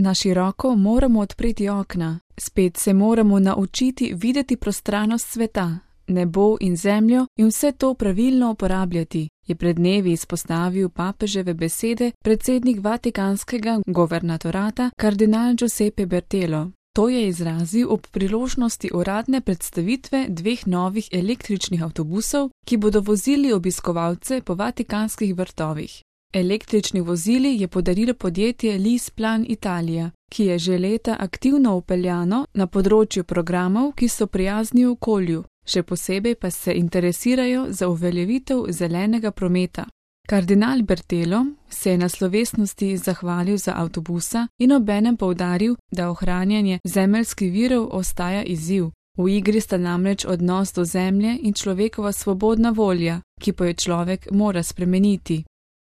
Na široko moramo odpreti okna, spet se moramo naučiti videti prostranost sveta, nebo in zemljo in vse to pravilno uporabljati, je pred dnevi izpostavil papeževe besede predsednik Vatikanskega governatorata kardinal Giuseppe Bertelo. To je izrazil ob priložnosti uradne predstavitve 2 novih električnih avtobusov, ki bodo vozili obiskovalce po vatikanskih vrtovih. Električni vozili je podarilo podjetje LeasePlan Italia, ki je že leta aktivno vpeljano na področju programov, ki so prijazni okolju, še posebej pa se interesirajo za uveljavitev zelenega prometa. Kardinal Bertelo se je na slovesnosti zahvalil za avtobusa in obenem poudaril, da ohranjanje zemeljskih virov ostaja izziv. V igri sta namreč odnos do zemlje in človekova svobodna volja, ki pa jo človek mora spremeniti.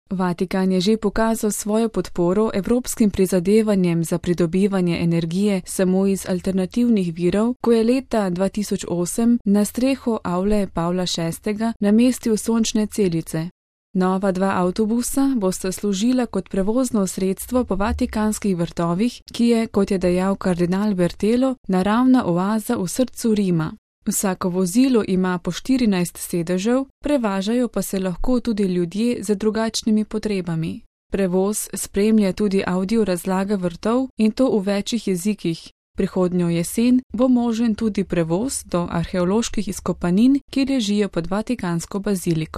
Vatikan je že pokazal svojo podporo evropskim prizadevanjem za pridobivanje energije samo iz alternativnih virov, ko je leta 2008 na streho avle Pavla VI. Namestil sončne celice. Nova 2 avtobusa bosta služila kot prevozno sredstvo po vatikanskih vrtovih, ki je, kot je dejal kardinal Bertelo, naravna oaza v srcu Rima. Vsako vozilo ima po 14 sedežev, prevažajo pa se lahko tudi ljudje z drugačnimi potrebami. Prevoz spremlja tudi audio razlaga vrtov in to v večjih jezikih. Prihodnjo jesen bo možen tudi prevoz do arheoloških izkopanin, ki ležijo pod Vatikansko baziliko.